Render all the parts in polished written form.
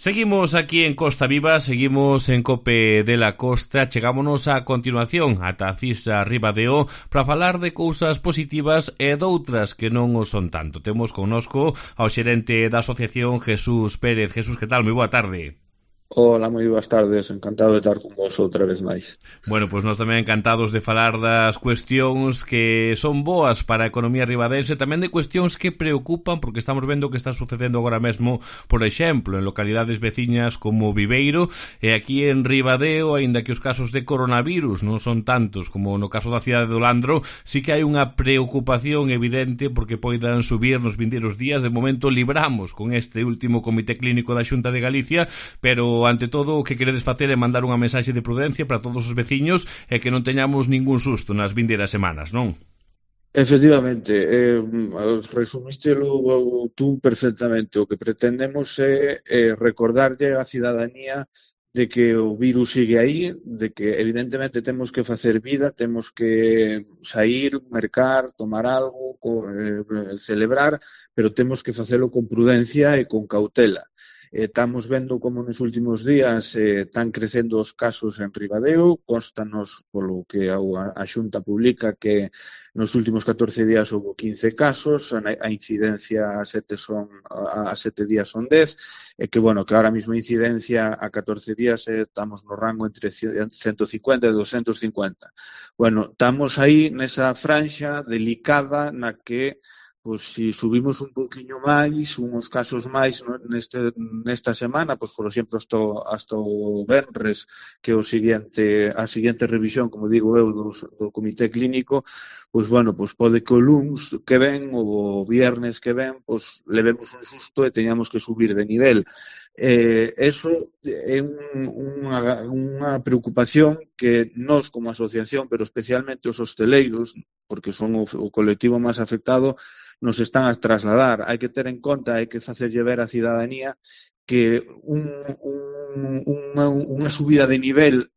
Seguimos aquí en Costa Viva, seguimos en Cope de la Costa, chegámonos a continuación ata a Cisa Ribadeo para falar de cousas positivas e doutras que non o son tanto. Temos connosco ao xerente da asociación Jesús Pérez. Jesús, que tal? Moi boa tarde. Hola, moi boas tardes, encantado de estar con vos outra vez máis. Bueno, pois nós tamén encantados de falar das cuestións que son boas para a economía ribadense, tamén de cuestións que preocupan, porque estamos vendo que está sucedendo agora mesmo, por exemplo, en localidades veciñas como Viveiro, e aquí en Ribadeo, aínda que os casos de coronavirus non son tantos como no caso da cidade do Landro, sí que hai unha preocupación evidente porque poidan subir nos vindeiros días. De momento libramos con este último comité clínico da Xunta de Galicia, pero ante todo o que queredes facer é mandar unha mensaxe de prudencia para todos os veciños e que non teñamos ningún susto nas vindeiras semanas, non? Efectivamente, resumístelo tú perfectamente. O que pretendemos é recordarlle á cidadanía de que o virus sigue aí, de que evidentemente temos que facer vida, temos que sair, mercar, tomar algo, celebrar, pero temos que facelo con prudencia e con cautela. Estamos vendo como nos últimos días están crecendo os casos en Ribadeo. Constanos polo que a Xunta publica que nos últimos 14 días houve 15 casos, a incidencia a 7 días son 10, e que, bueno, que ahora mesmo a incidencia a 14 días estamos no rango entre 150 e 250. Bueno, estamos aí nesa franxa delicada na que pois se subimos un pouquiño máis, uns casos máis nesta semana, pois por exemplo hasta o venres, que a seguinte revisión, como digo eu, do comité clínico, pois bueno, pois pode que o luns que ven ou o viernes que ven, pois levemos un susto e teñamos que subir de nivel. Eso é unha preocupación que nós como asociación, pero especialmente os hosteleiros, porque son o colectivo máis afectado, nos están a trasladar. Hai que ter en conta, hai que facerlle ver á cidadanía que unha subida de nivel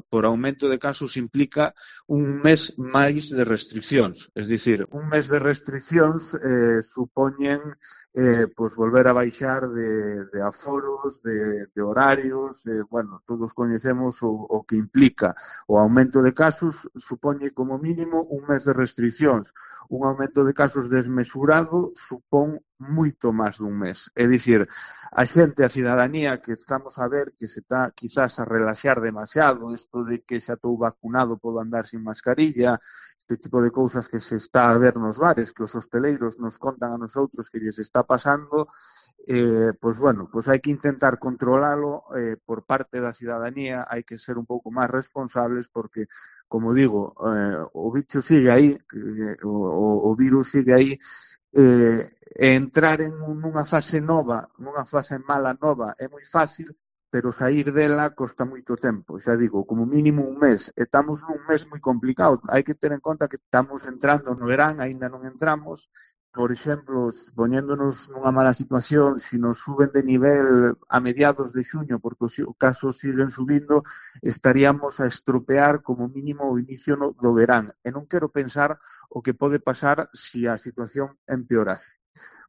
por aumento de casos implica un mes máis de restriccións. Es dicir, un mes de restriccións supoñen pois volver a baixar de aforos, de horarios, bueno, todos coñecemos o que implica. O aumento de casos supoñe como mínimo un mes de restriccións. Un aumento de casos desmesurado supón moito máis dun mes. É dicir, a xente, a cidadanía, que estamos a ver que se está quizás a relaxar demasiado, isto de que xa estou vacunado, podo andar sin mascarilla, este tipo de cousas que se está a ver nos bares, que os hosteleiros nos contan a nosotros que lles está pasando, pois bueno, pois hai que intentar controlalo por parte da cidadanía, hai que ser un pouco máis responsables porque, como digo, o bicho sigue aí, o virus sigue aí, entrar en nunha fase nova, nunha fase mala nova é moi fácil, pero sair dela costa moito tempo. Xa digo, como mínimo un mes. Estamos nun mes moi complicado. Hai que ter en conta que estamos entrando no verán, aínda non entramos. Por exemplo, poñéndonos nunha mala situación, se nos suben de nivel a mediados de xuño, porque os casos siguen subindo, estaríamos a estropear como mínimo o inicio do verán. E non quero pensar o que pode pasar se a situación empeorase.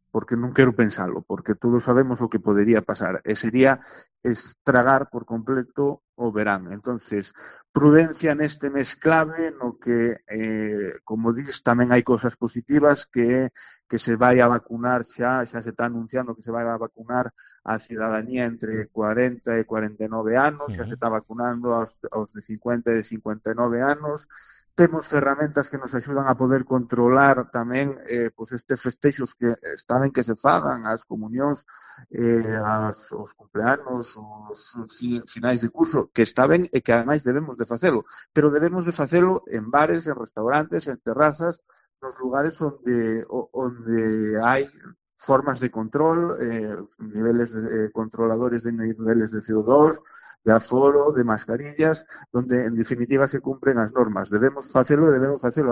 Porque non quero pensalo, porque todos sabemos o que podería pasar, e sería estragar por completo o verán. Entonces, prudencia neste mes clave, no que, como dis, tamén hai cosas positivas, que se vai a vacunar xa se está anunciando que se vai a vacunar a cidadanía entre 40 e 49 anos, xa se está vacunando aos de 50 e de 59 anos. Temos ferramentas que nos axudan a poder controlar tamén pois estes festexos que está ben que se fagan, as comunións, os cumpleanos, os finais de curso, que está ben e que ademais debemos de facelo, pero debemos de facelo en bares, en restaurantes, en terrazas, nos lugares onde hai formas de control, niveles controladores de niveles de CO2, de aforo, de mascarillas, donde en definitiva se cumpren as normas. Debemos facelo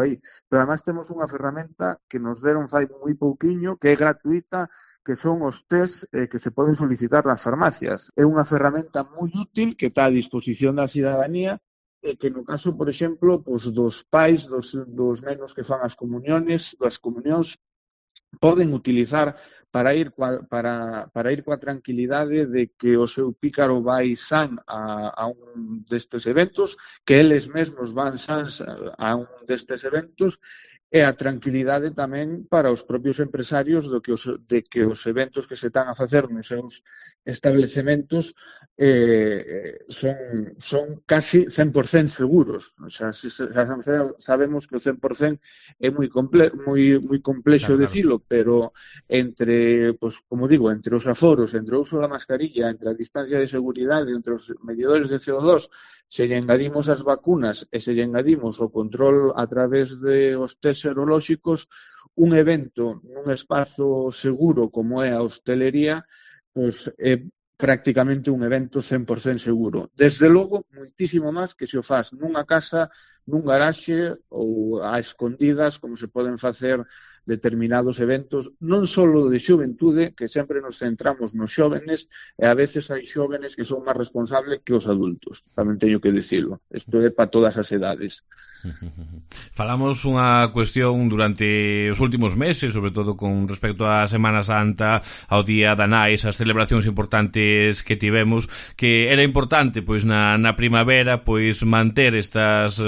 aí. Pero además temos unha ferramenta que nos deron fai moi pouquiño, que é gratuita, que son os test que se poden solicitar nas farmacias. É unha ferramenta moi útil que está a disposición da cidadanía, que no caso, por exemplo, dos pais, dos nenos que fan as comunións, poden utilizar para ir coa tranquilidade de que o seu pícaro vai san a un destes eventos, que eles mesmos van sans a un destes eventos, e a tranquilidade tamén para os propios empresarios de que os eventos que se están a facer nos seus establecementos son casi 100% seguros. O sea, sabemos que o 100% é moi complexo decilo, pero entre, pues, como digo, entre os aforos, entre o uso da mascarilla, entre a distancia de seguridade, entre os medidores de CO2, se lle engadimos as vacunas e se lle engadimos o control a través de os test serolóxicos, un evento nun espazo seguro como é a hostelería, pois é prácticamente un evento 100% seguro. Desde logo, moitísimo máis que se o faz nunha casa, nun garaxe ou a escondidas, como se poden facer determinados eventos, non só de xuventude, que sempre nos centramos nos xóvenes, e a veces hai xóvenes que son máis responsables que os adultos. Tamén teño que dicilo. Isto é para todas as edades. Falamos unha cuestión durante os últimos meses, sobre todo con respecto á Semana Santa, ao Día da Nai, esas celebracións importantes que tivemos, que era importante pois na primavera pois manter estas,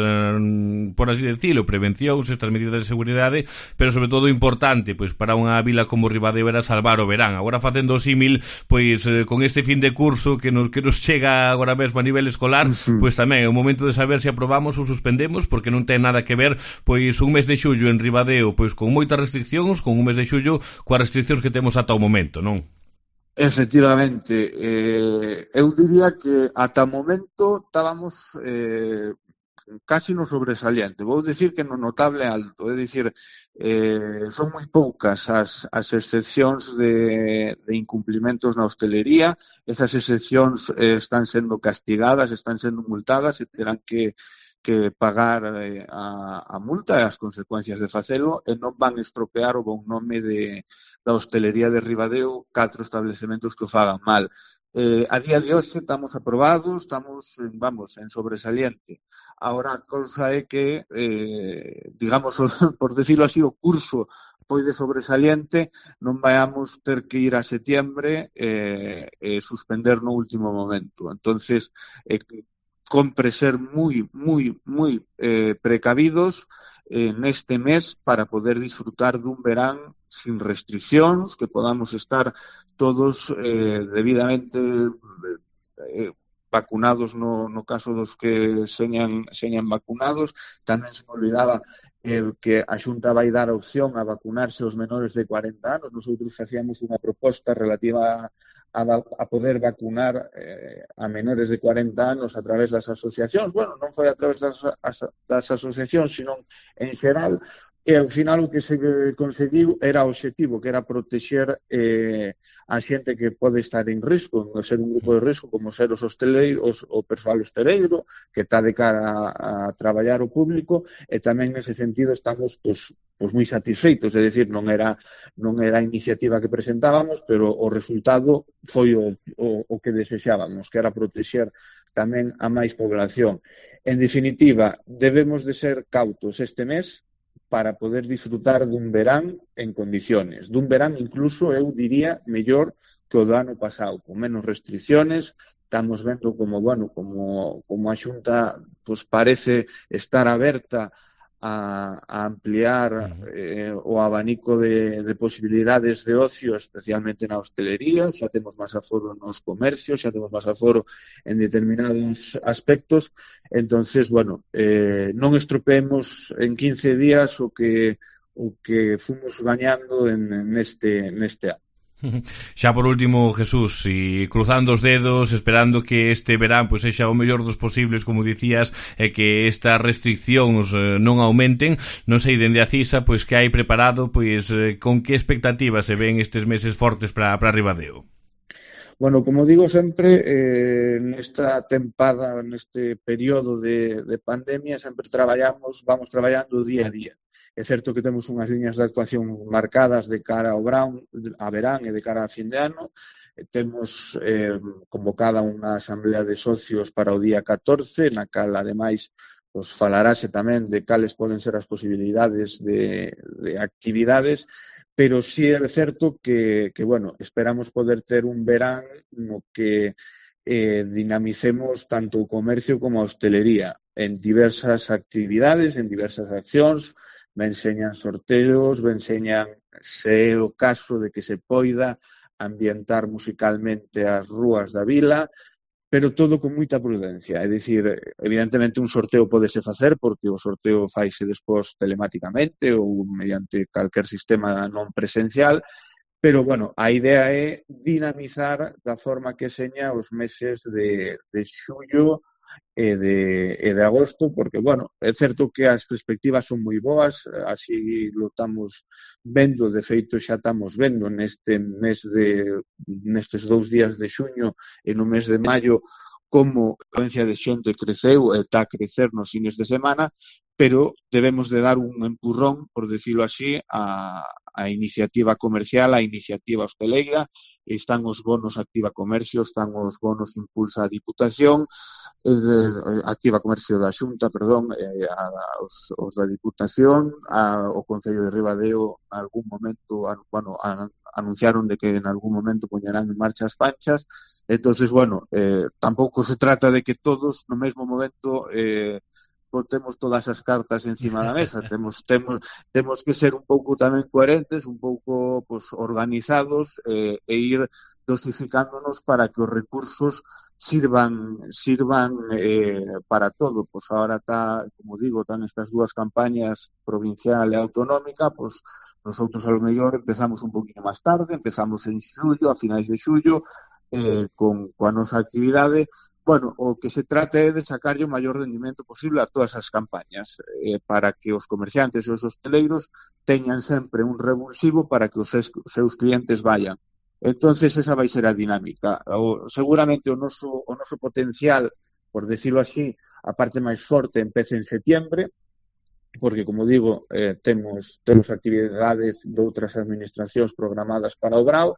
por así decirlo, prevencións, estas medidas de seguridade, pero sobre todo importante pois para unha vila como Ribadeo era salvar o verán. Agora facendo o símil pois con este fin de curso que nos chega agora mesmo a nivel escolar, pois tamén é o momento de saber se aprobamos ou suspendemos, porque non ten nada que ver pois un mes de xullo en Ribadeo pois con moitas restriccións, con un mes de xullo coas restriccións que temos ata o momento, non? Efectivamente, eu diría que ata o momento estábamos casi no sobresaliente. Vou dicir que no notable alto, é dicir, son moi poucas as excepcións de incumplimentos na hostelería. Esas excepcións están sendo castigadas, están sendo multadas e terán que pagar a multa e as consecuencias de facelo, e non van estropear o bon nome da hostelería de Ribadeo 4 establecementos que o fagan mal. A día de hoxe estamos aprobados, estamos, vamos, en sobresaliente. Ahora a cousa é que, digamos, por decirlo así, o curso foi de sobresaliente, non vayamos ter que ir a setiembre e suspender no último momento. Entonces, compre ser moi precavidos neste mes para poder disfrutar dun verán sin restriccións, que podamos estar todos debidamente vacunados no caso dos que señan vacunados. Tamén se me olvidaba que a Xunta vai dar a opción a vacunarse os menores de 40 anos. Nosotros facíamos unha proposta relativa a poder vacunar a menores de 40 anos a través das asociacións. Bueno, non foi a través das asociacións, sino en xeral, e ao final o que se conseguiu era o obxectivo, que era protexer a xente que pode estar en risco, non ser un grupo de risco, como ser os hosteleiros, o persoal hosteleiro, que está de cara a traballar o público, e tamén nese sentido estamos moi satisfeitos, é dicir, non era a iniciativa que presentábamos, pero o resultado foi o que desexábamos, que era protexer tamén a máis población. En definitiva, debemos de ser cautos este mes para poder disfrutar dun verán en condiciones, dun verán incluso, eu diría, mellor que o do ano pasado, con menos restricciones. Estamos vendo como a Xunta parece estar aberta a ampliar o abanico de posibilidades de ocio, especialmente na hostelería. Xa temos máis aforo nos comercios, xa temos máis aforo en determinados aspectos. Entonces, non estropeemos en 15 días o que fomos gañando neste ano. Xa por último, Jesús, e cruzando os dedos, esperando que este verán pois sexa o mellor dos posibles, como dicías, e que estas restriccións non aumenten. Non sei, dende a CISA, pois que hai preparado, pois con que expectativas se ven estes meses fortes para Ribadeo? Bueno, como digo sempre, nesta tempada, neste período de pandemia, sempre vamos traballando día a día. É certo que temos unhas liñas de actuación marcadas de cara ao verán e de cara a fin de ano. Temos convocada unha asamblea de socios para o día 14, na cal, ademais, falarase tamén de cales poden ser as posibilidades de actividades, pero sí é certo que bueno, esperamos poder ter un verán no que dinamicemos tanto o comercio como a hostelería en diversas actividades, en diversas accións, venseñan sorteos, venseñan, se é o caso de que se poida, ambientar musicalmente as rúas da vila, pero todo con moita prudencia. É dicir, evidentemente un sorteo podese facer porque o sorteo faise despois telemáticamente ou mediante calquer sistema non presencial, pero, bueno, a idea é dinamizar da forma que seña os meses de xullo e de agosto, porque, bueno, é certo que as perspectivas son moi boas, así lo estamos vendo, de feito xa estamos vendo nestes 2 días de xuño e no mes de maio como a afluencia de xente creceu e está a crecer nos fines de semana, pero debemos de dar un empurrón, por decirlo así, a iniciativa comercial, a iniciativa hosteleira, están os bonos Activa Comercio, están os bonos Impulsa a Diputación, Activa Comercio da Xunta, perdón, os da Diputación, o Concello de Ribadeo, algún momento, bueno, anunciaron de que en algún momento poñerán en marcha as panchas. Entonces, bueno, tampouco se trata de que todos no mesmo momento botemos todas as cartas encima da mesa. Temos que ser un pouco tamén coherentes, un pouco pues, organizados e ir dosificándonos para que os recursos sirvan para todo. Pues ahora está, como digo, están estas dúas campañas provincial e autonómica, pues nosotros a lo mellor empezamos un poquinho máis tarde, empezamos en xullo, a finais de xullo, coa nosa actividade. Bueno, o que se trata é de sacarlle o maior rendimento posible a todas as campañas para que os comerciantes e os hosteleiros teñan sempre un revulsivo para que os seus clientes vayan. Entonces esa vai ser a dinámica. Seguramente o noso potencial, por decirlo así, a parte máis forte empece en setiembre, porque, como digo, temos actividades de outras administracións programadas para o Brao,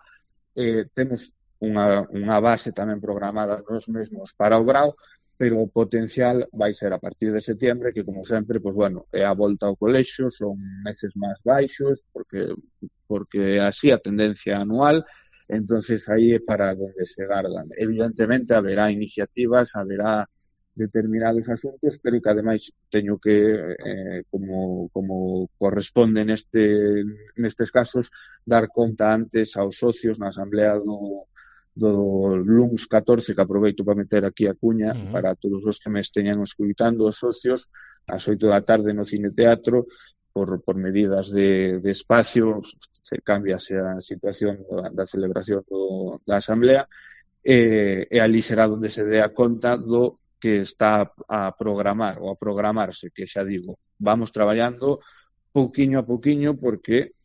temos unha base tamén programada nos mesmos para o Brao, pero o potencial vai ser a partir de setiembre, que, como sempre, pues, bueno, é a volta ao colexio, son meses máis baixos, porque así a tendencia anual, entonces aí é para donde se gardan. Evidentemente, haberá iniciativas, haberá determinados asuntos, pero que ademais teño que, como corresponde nestes casos, dar conta antes aos socios na asamblea do luns 14, que aproveito para meter aquí a cuña para todos os que me esteñan escuitando, os socios, ás 8 da tarde no Cine Teatro, por medidas de espacio, se cambiase a situación da celebración da asamblea, e ali será onde se dé a conta do que está a programar ou a programarse, que xa digo, vamos traballando pouquiño a pouquiño porque,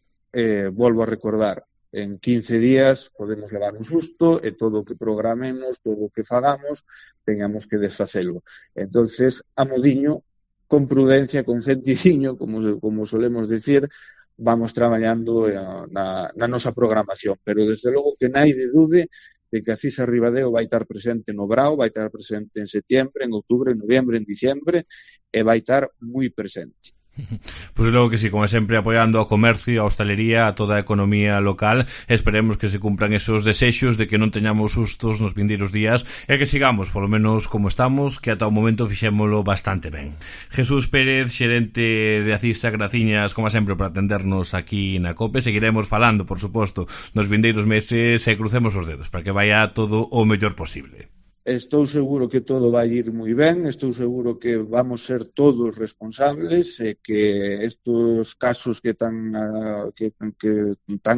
volvo a recordar, en 15 días podemos levar un susto e todo o que programemos, todo o que fagamos, teñamos que desfacelo. Entonces, a modiño, con prudencia, con centiciño, como solemos decir, vamos traballando na nosa programación. Pero, desde logo, que naide dude de que a CISA Ribadeo vai estar presente no Brao, vai estar presente en setiembre, en outubro, en noviembre, en diciembre, e vai estar moi presente. Pois logo que sí, como sempre, apoiando ao comercio, a hostalería, a toda a economía local. Esperemos que se cumpran esos desexos de que non teñamos sustos nos vindeiros días e que sigamos, polo menos como estamos, que ata o momento fixémolo bastante ben. Jesús Pérez, xerente de Acisa, graciñas como sempre por atendernos aquí na COPE. Seguiremos falando, por suposto, nos vindeiros meses e crucemos os dedos para que vaya todo o mellor posible. Estou seguro que todo vai ir moi ben, estou seguro que vamos ser todos responsables e que estes casos que están a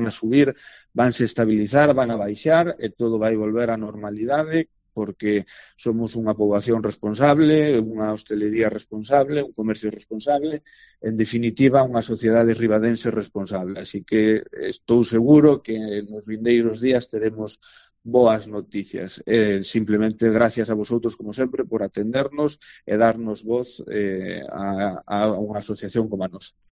subir vanse estabilizar, van a baixar e todo vai volver á normalidade, porque somos unha poboación responsable, unha hostelería responsable, un comercio responsable, en definitiva, unha sociedade ribadense responsable. Así que estou seguro que nos vindeiros días teremos boas noticias. Simplemente gracias a vosotros, como sempre, por atendernos e darnos voz a unha asociación como a nosa.